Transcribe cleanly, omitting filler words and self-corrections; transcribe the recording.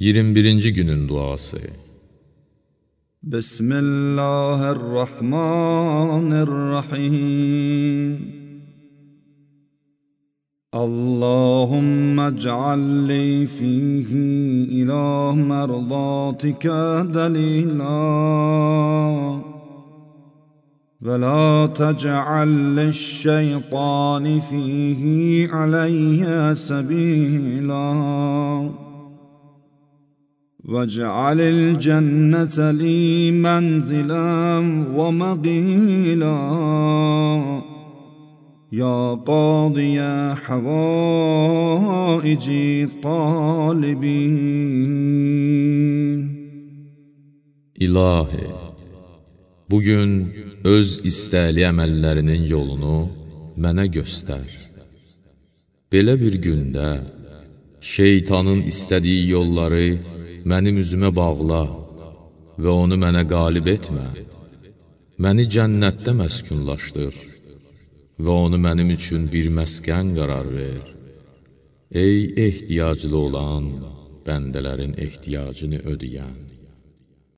21-ci günün duası. Bismillahirrahmanirrahim. Allahümme ec'alli fihi ila merdatika delila ve la tec'al li'ş-şeytani fihi aleyye sebila واجعل الجنة لي منزلا ومقيلا يا قاضي حوائج الطالبين. İlahi, bugün öz istəkli əməllərinin yolunu mənə göstər. Belə bir gündə şeytanın istədiyi yolları mənim üzümə bağla və onu mənə qalib etmə. Məni cənnətdə məskunlaşdır və onu mənim üçün bir məskən qərar ver. Ey ehtiyaclı olan bəndələrin ehtiyacını ödəyən.